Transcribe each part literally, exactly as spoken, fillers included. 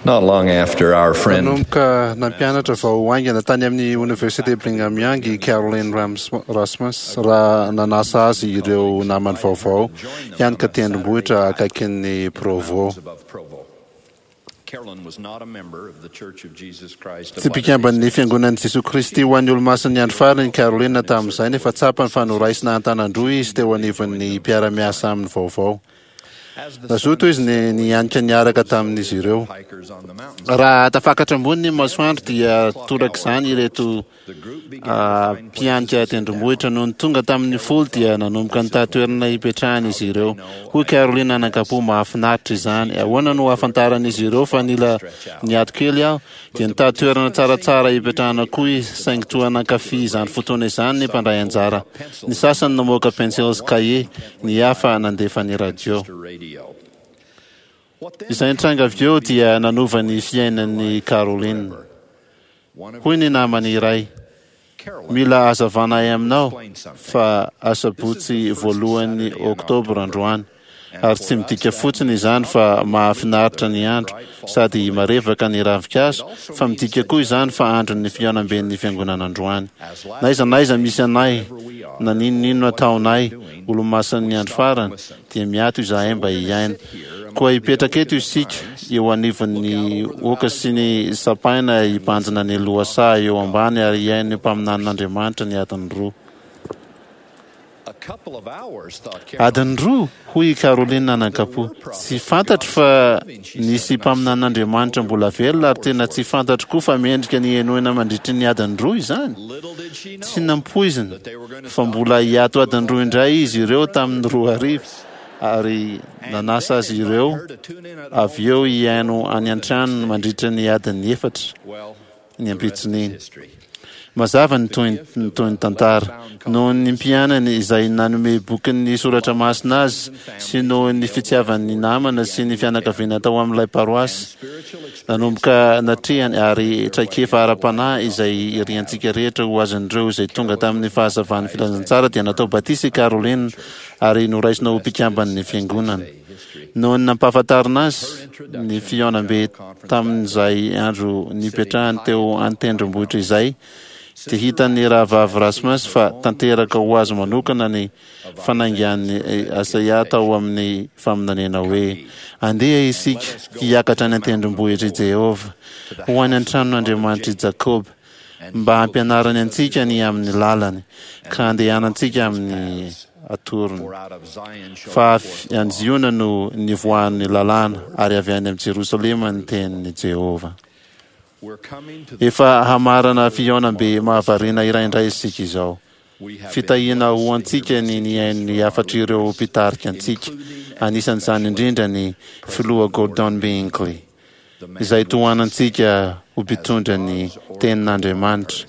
Not long after our friend Nanomboka nampianatra vao haingana tany amin'ny Oniversite Brigham Young i Caroline Rams- Rasmus raha nanasa azy ireo namany vaovao hianika tendrombohitra akaikin'ny Provo. above Provo. Carolyn was not a member of the Church of Jesus Christ of Tsy mpikamban'ny Fiangonan'i Jesoa Kristy ho an'ny Olomasin'ny Andro Farany Caroline tamin'izay, nefa tsapany fa noraisina an-tanan-droa izy teo anivon'ny mpiara-miasa amin'ny vaovao. Nazoto izy ny nianika niaraka tamin'izy ireo. hikers on the mountains. Raha tafakatra ambony ny masoandro dia torak'izany ireto ah, mpianika tendrombohitra. Nony tonga tamin'ny folo dia nanomboka nitady toerana hipetrahana izy ireo. Hoy Caroline anankapo: "Mahafinaritra izany. Ahoana no ahafantaran'izy ireo fa nila niato kely aho?" Dia nitady toerana tsaratsara hipetrahana koa izy, saingy toa nankafy izany fotoana izany ny mpandray anjara. Ny sasany namoaka pensily sy kahie, ny hafa nandefa ny radio. Radio. What then Izay nitranga avy eo dia nanova ny fiainan'ny Caroline. One of Hoy ny namany iray: Carolyn "Mila hazavainay aminao fa asabotsy voalohan'ny oktobra androany, ary tsy midika fotsiny izany fa mahafinaritra ny andro sady marevaka ny ravinkazo, fa midika koa izany fa andron'ny fihaonamben'ny fiangonana androany. Na aiza na aiza misy anay, na n'inon'inona ataonay, olomasin'ny andro farany, dia miato izahay mba hihaino. Koa hipetraka eto isika eo anivon'ny oaka sy ny sapaina, hibanjina ny lohasaha eo ambany ary hihaino ny mpaminanin'Andriamanitra ny adiny roa." A couple of hours, thought Carolyn. "Adiny roa?" hoy i Caroline nanankapo. "Tsy fantatro fa nisy mpaminanin'Andriamanitra mbola velona, ary tena tsy fantatro koa fa mendrika ny henoina mandritry ny adiny roa izany." Little did she know Tsy nampoiziny fa mbola hiato adiny roa indray izy ireo tamin'ny roa hariva, ary nanasa azy ireo avy eo hihaino any an-tranony mandritra ny adiny efatra well, ny ampitson'iny. history. Mazava ny toy ny toy ny tantara. Noho ny mpianany izay nanome bokin'ny soratra masina azy sy noho ny fitiavan'ny namana sy ny fianakaviana tao amin'ilay paroasy nanomboka natrehany ary traikefa ara-panahy izay iriantsika rehetra ho azon'ireo izay tonga tamin'ny fahazavan'ny filazantsara, dia natao batisa i Caroline ary noraisina ho mpikamban'ny fiangonana. Noho ny nampahafantarina azy ny fihaonambe tamin'izay andro nipetrahany teo an-tendrombohitra izay, dia hitan'ny rahavavy Rasmus fa tanteraka ho azy manokana ny fanaingan'ny Isaia tao amin'ny faminaniana hoe: "Andeha isika hiakatra any an-tendrombohitra i Jehovah, ho any an-tranon'Andriamanitra i Jakoba, mba hampianarany antsika ny amin'ny lalany ka andehanantsika amin'ny atorony." For out of Zion shall Fa avy any Ziona no nivoahan'ny lalàna, ary avy any amin'ny Jerosalema ny tenin'i Jehovah. We're coming to the Efa hamarana fihaonambe mahavariana iray indray isika izao. We have Fitahiana ho antsika ny nihaino ny hafatr'ireo mpitarika antsika, anisan'izany indrindra ny filoha Gordon B. Hinckley, izay tohanantsika ho mpitondra ny tenin'Andriamanitra,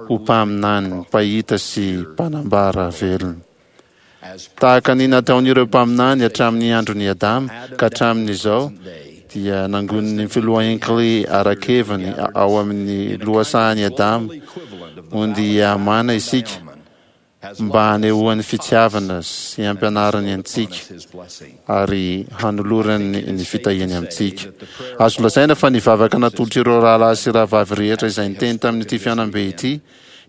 ho mpaminany, mpahita sy mpanambara velona. As Tahaka ny nataon'ireo mpaminany hatramin'ny andron'i Adama ka hatramin'izao, dia nangonin'ny filoha Hinckley ara-keviny ao amin'ny lohasahan'i Adama equivalent of ondy Amana isika has mba hanehoan'ny fitiavana sy hampianarany antsika his blessing. ary hanolorany ny fitahiany amintsika. Azo lazaina fa ny vavaka natolotr'ireo rahalahy sy rahavavy rehetra izay niteny tamin'ity fihaonambe ity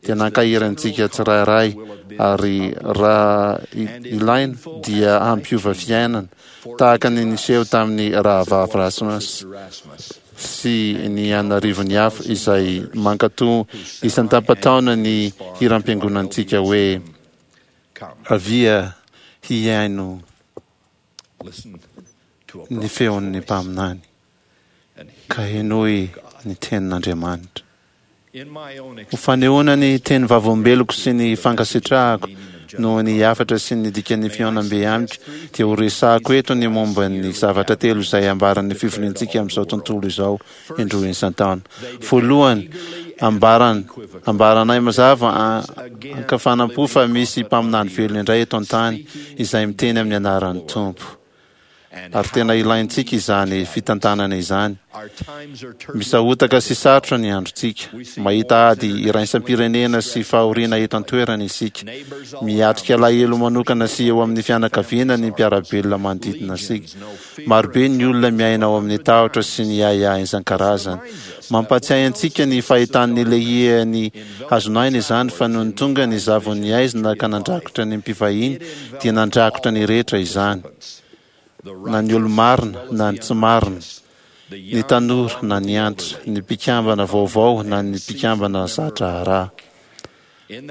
dia nankahery antsika tsirairay, ary raha ilaina dia hampiova fiainana, tahaka ny niseho tamin'ny rahavavy Rasmus Rasmus. sy ny anarivony hafa izay mankato isan-tapa-taona ny hiram-piangonantsika hoe Come, "Avia hihaino listen to a ny prophet's feon'ny voice mpaminany and ka henoy ny tenin'Andriamanitra." In my own Ho fanehoana ny teny vavolombeloko sy ny fankasitrahako noho ny hafatra sy ny dikan'ny fihaonambe amiko, dia ho resahako eto ny momba ny zavatra telo izay ambaran'ny fivoriantsika amin'izao tontolo izao indroa isan-taona. Voalohany, ambaran ambaranay mazava an-kafanam-po fa misy mpaminany velona indray eto an-tany izay miteny amin'ny anaran'ny Tompo, ary tena ilaintsika izany fitantanana izany. Misahotaka sy sarotra ny androntsika. Mahita ady iraisam-pirenena sy fahoriana eto an-toerana isika. Miatrika alahelo manokana sy eo amin'ny fianakaviana ny mpiara-belona manodidina antsika. Marobe ny olona miaina ao amin'ny tahotra sy ny ahiahy isan-karazany. Mampatsiahy antsika ny fahitan'ny Lehia ny hazon'aina izany, fa nony tonga ny zavon'ny haizina ka nandrakotra ny mpivahiny, dia nandrakotra ny rehetra izany, na ny olo-marina na ny tsy marina, ny tanora na ny antitra, ny mpikambana vaovao na ny mpikambana za-draharaha.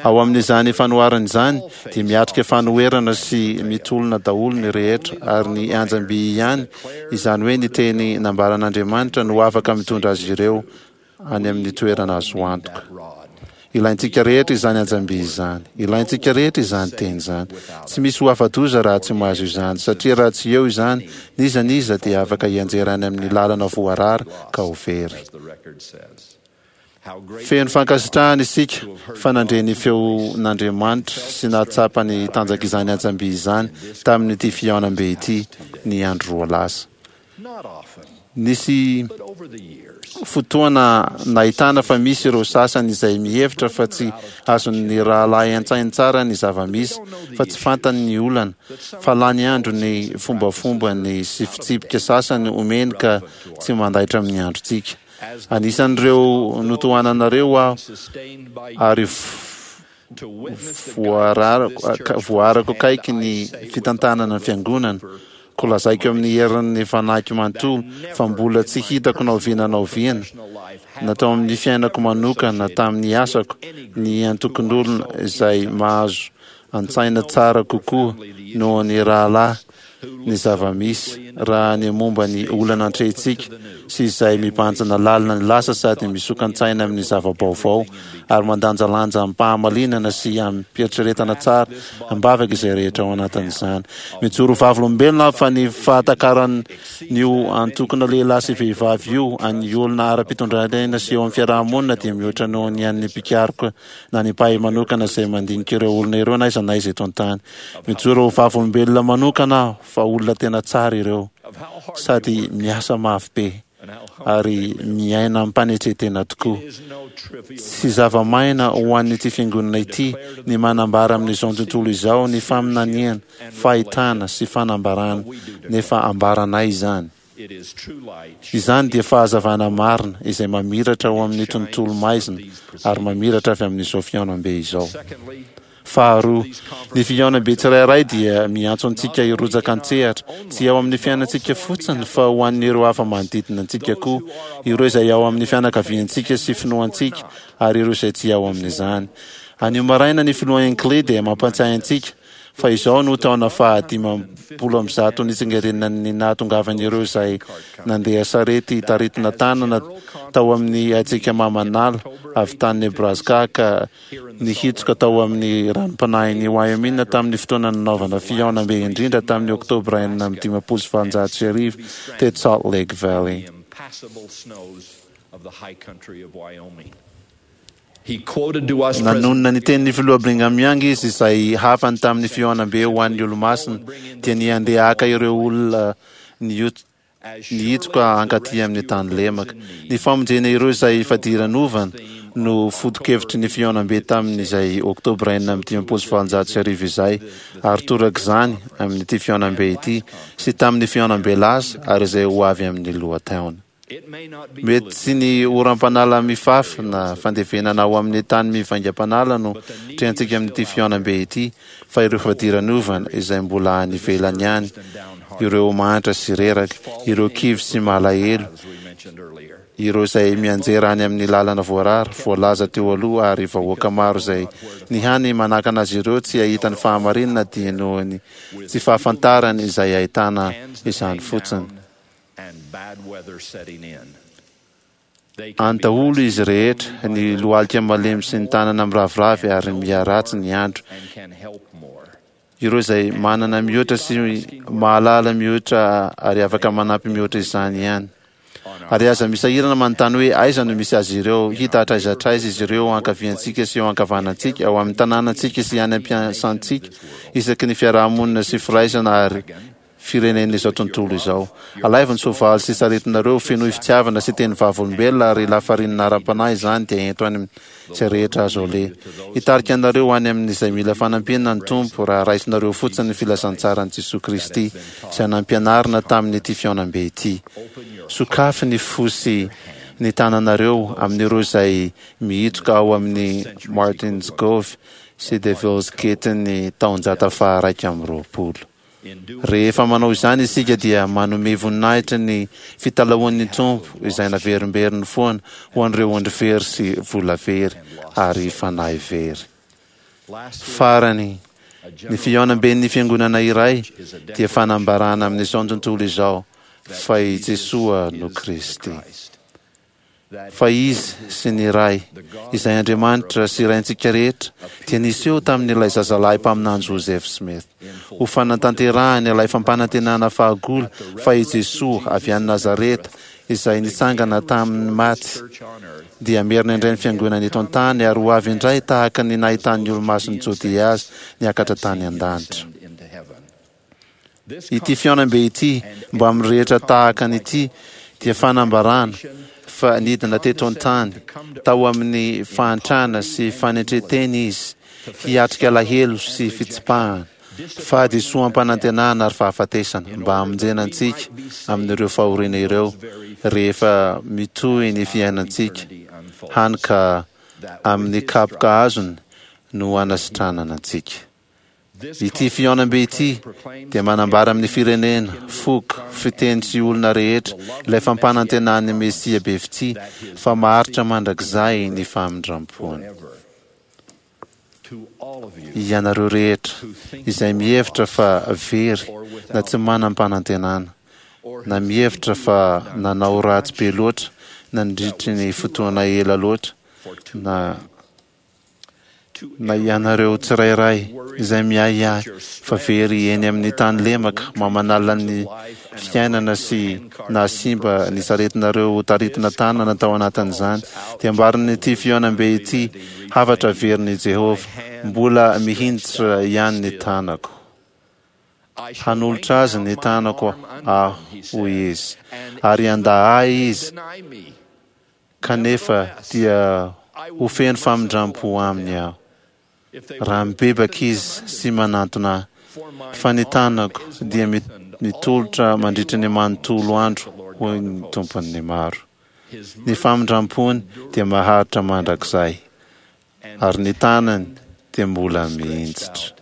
Ao amin'izany fanoharana izany dia miatrika fanoherana sy mitolona daholo ny rehetra, ary ny anjam-by ihany, izany hoe ny teny nambaran'Andriamanitra, no afaka mitondra azy ireo any amin'ny toerana azo antoka. Ilaintsika rehetra izany anjam-by izany. Ilaintsika rehetra izany teny izany. Tsy misy ho afa-doza raha tsy mahazo izany, satria raha tsy eo izany, n'iza n'iza dia afaka hianjera any amin'ny lalana voarara ka ho very. Feno fankasitrahana isika fa nandre ny feon'Andriamanitra sy nahatsapa ny tanjak'izany anjam-by izany tamin'ity fihaonambe ity ny andro roa lasa. Nisy fotoana nahitana fa misy ireo sasany izay mihevitra fa tsy azon'ny rahalahy an-tsainy tsara ny zava-misy, fa tsy fantany ny olana, fa lany andro ny fombafombany sy fitsipika sasany omeny ka tsy mandaitra amin'ny androntsika. Anisan'ireo notohananareo aho ary voarako akaiky ny fitantanana ny fiangonana, koa lazaiko amin'ny herin'ny fanahiko manontolo fa mbola tsy hitako na oviana na oviana, na tao amin'ny fiainako manokana na tamin'ny asako, ny antokon'olona izay mahazo an-tsaina tsara kokoa noho ny rahalahy ny zava-misy raha ny momba ny olana atrehintsika sy izay mibanjina lalina ny lasa sady misokan-tsaina amin'ny zava-baovao ary mandanjalanja amim-pahamalinana sy amim-pieritreretana tsara am-bavaka izay rehetra ao anatin'izany. Mijoro vavolombelona aho fa ny fahatakaran'io antokona lehilahy sy vehivavy io an'ny olona ara-pitondran-tena sy eo amin'ny fiaraha-monina dia mihoatra noho ny an'ny mpikaroka na ny mpahay manokana izay mandinika ireo olona ireo na aiza na aiza eto an-tany. Mijoro ho vavolombelona manokana aho fa olona tena tsara ireo sady miasa mafy be ary miaina amim-panetren-tena tokoa. Tsy zava-maina ho an'ity fiangonana ity ny manambara amin'izao tontolo izao ny faminaniana, fahitana sy fanambarana, nefa ambaranay izany. Izany dia fahazavana marina izay mamiratra ao amin'ny tontolo maizina ary mamiratra avy amin'izao fihaonambe izao. Faharoa, ny fihaonambe tsirairay dia miantso antsika hirotsaka an-tsehatra, tsy ao amin'ny fiainantsika fotsiny fa ho an'ireo hafa manodidina antsika koa, ireo izay ao amin'ny fianakaviantsika sy finoantsika ary ireo izay tsy ao amin'izany. Anio maraina ny filoha Hinckley dia mampatsiahy antsika fa izao no taona fahadimampolo amby zato nitsingerenan'ny nahatongavan'ireo izay nandeha sarety taritina tanana tao amin'ny hatsiaka mamanala avy tany Nebraska ka nihitsoka tao amin'ny ranom-panahin'i Wyoming tamin'ny fotoana nanaovana fihaonambe indrindra tamin'ny oktobra enina amby dimampolo sy valonjato sy arivo teto Salt Lake Valley. Nanonona ny tenin'ny filoha Brigham Young izy izay hafany tamin'ny fihaonambe ho an'ny Olomasina, dia ny handeha haka ireo olona nihitsoka hankaty amin'ny tany lemaka. Ny famonjena ireo izay fadiranovana no foto-kevitry ny fihaonambe tamin'izay oktobra enina amby dimampolo sy valonjato sy arivo izay, ary torak'izany amin'ity fihaonambe ity sy tamin'ny fihaonambe lasa ary izay ho avy amin'ny lohataona. Mety tsy ny oram-panala mifafy na fandevenana ao amin'ny tany mivaingam-panala no trehantsika amin'ity fihaonambe ity, fa ireo fadiranovana izay mbola any ivelany any, ireo mahantra sy reraka, ireo kivy sy malahelo, ireo izay mianjera any amin'ny lalana voarara, voalaza teo aloha, ary vahoaka maro izay ny hany manakana azy ireo tsy hahita ny fahamarinana dia noho ny tsy fahafantarany izay ahitana izany fotsiny. Any daholo izy rehetra, ny lohalika malemy sy ny tanana miraviravy ary miharatsy ny andro. Ireo izay manana mihoatra sy mahalala mihoatra ary afaka manampy mihoatra izany ihany. Ary aza misahirana manontany hoe aiza no misy azy ireo, hita hatraiza hatraiza izy ireo ankaviantsika sy eo ankavanantsika, ao amin'ny tanànantsika sy any am-piasantsika, isaky ny fiarahamonina sy firaisana ary firenen'izao tontolo izao. Alaivo ny soavaly sy saretinareo, fenoy fitiavana sy teny vavolombelona ary lafarinina ara-panahy izany, dia ento any izay rehetra azo aleha. Hitarika anareo any amin'izay mila fanampiana ny Tompo raha raisinareo fotsiny ny filazantsaran'i Jesoa Kristy izay nampianarina tamin'ity fihaonambe ity. Sokafy ny fo sy ny tananareo amin'ireo izay mihitsoka ao amin'ny Martin's Cove sy Devil's Gate-n'ny taonjato faha-iraika amby roapolo. Rehefa manao izany isika dia manome voninahitra ny fitalahoan'ny Tompo izay naverimberiny foana ho an'ireo ondry very sy vola very ary fanahy very. Farany, ny fihaonamben'ny fiangonana iray dia fanambarana amin'izao tontolo izao fa i Jesoa no Kristy. Fa Izy sy ny Ray, izay Andriamanitra sy Raintsika rehetra, dia niseho tamin'ilay zazalahy mpaminany Joseph Smith, ho fanatanterahany ilay fampanantenana fahagola fa i Jesoa avy any Nazareta, izay nitsangana tamin'ny maty, dia hamerina indray ny fiangonana eto an-tany ary ho avy indray tahaka ny nahitan'ny olomasin'i Jodia azy niakatra tany an-danitra. Ity fihaonambe ity, mbamin'ny rehetra tahaka an'ity, dia fanambarana fa nidina teto an-tany tao amin'ny fahantrana sy fanetren-tena izy, hiatrika alahelo sy fitsipahana, fahadisoam-panantenana ary fahafatesana, mba hamonjena antsika amin'ireo fahoriana ireo rehefa mitohy ny fiainantsika, hany ka amin'ny kapoka azony no hanasitranana antsika. Ity fihaonambe ity dia manambara amin'ny firenena, foko, fiteny sy olona rehetra ilay fampanantenan'ny Mesia be fitia fa maharitra mandrakizay ny famindrampony. Ianareo rehetra izay mihevitra fa very na tsy manam-panantenana, na mihevitra fa nanao ratsy be loatra nandritry ny fotoana ela loatra, na na ianareo tsirairay izay miahiahy fa very eny amin'ny tany lemaka mamanala ny fiainana sy nahasimba ny saretinareo ho taritina tanana tao anatin'izany, dia ambarin'ity fihaonambe ity hafatra verin'i Jehovah, Mbola mihinjitra ihany ny tanako. Hanolotra azy ny tanako aho, hoy izy, ary handà ahy izy, kanefa dia ho feno famindram-po aminy aho, raha mibebaka izy sy manantona ahy, fa ny tanako dia mitolotra mandritra ny manontolo andro, hoy ny Tompon'ny maro. Ny famindram-pony dia maharitra mandrakizay, ary ny tanany dia mbola mihinjitra.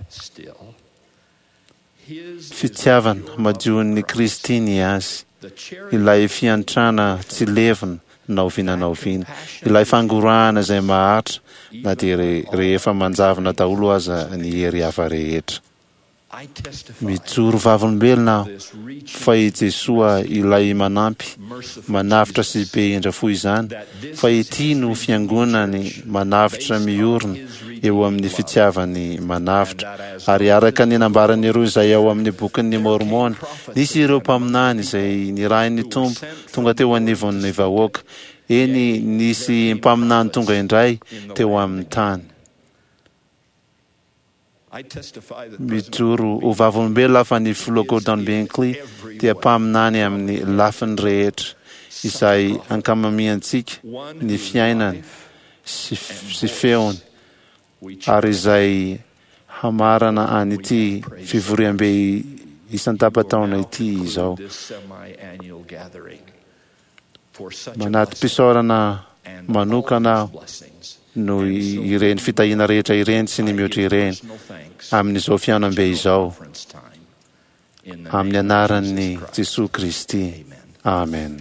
Fitiavana madion'i Kristy ny azy, ilay fiantrana tsy levona na oviana na oviana, ilay fangorahana izay maharitra na dia rehefa manjavona daholo aza ny hery hafa rehetra. Mijoro vavolombelona aho fa i Jesoa ilay manampy, manavotra sy be indra fo izany, fa ity no Fiangonany manavotra miorina eo amin'ny fitiavany manavotra. Ary araka ny nambaran'ireo izay ao amin'ny Bokin'ny Môrmôna, nisy ireo mpaminany izay nirahin'ny Tompo tonga teo anivon'ny vahoaka, eny, nisy mpaminany tonga indray teo amin'ny tany. Mijoro ho vavolombelona aho fa ny Filoha Gordon Binkley dia mpaminany amin'ny lafiny rehetra izay ankamamiantsika ny fiainany sy feony ary izay hamarana an'ity fivoriambe isan-tapa-taona ity izao. Manati-pisaorana manokana aho noho ireny fitahiana rehetra ireny sy ny mihoatra ireny amin'izao fihaonambe izao. Amin'ny anaran'i Jesoa Kristy. Amen.